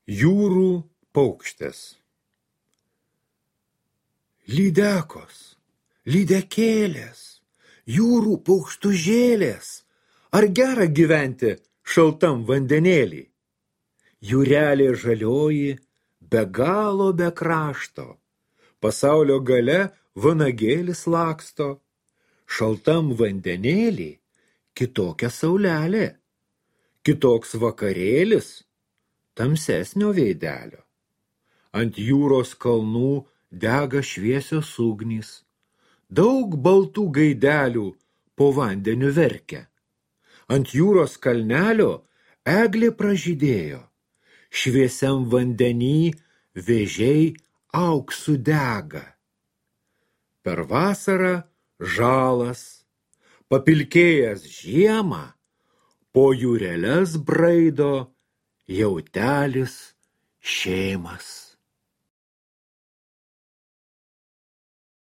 Jūrų paukštės. Lydekos, lydekėlės, jūrų paukštužėlės, ar gera gyventi šaltam vandenėlį? Jūrelė žalioji, be galo be krašto, pasaulio gale vanagėlis laksto, šaltam vandenėlį kitokia saulelė, kitoks vakarėlis, tamsesnio veidelio. Ant jūros kalnų dega šviesios ugnys, daug baltų gaidelių po vandeniu verkia. Ant jūros kalnelio eglė pražydėjo, šviesiam vandenį vėžiai auksu dega. Per vasarą žalas, papilkėjęs žiemą, po jūreles braido jautelis šeimas.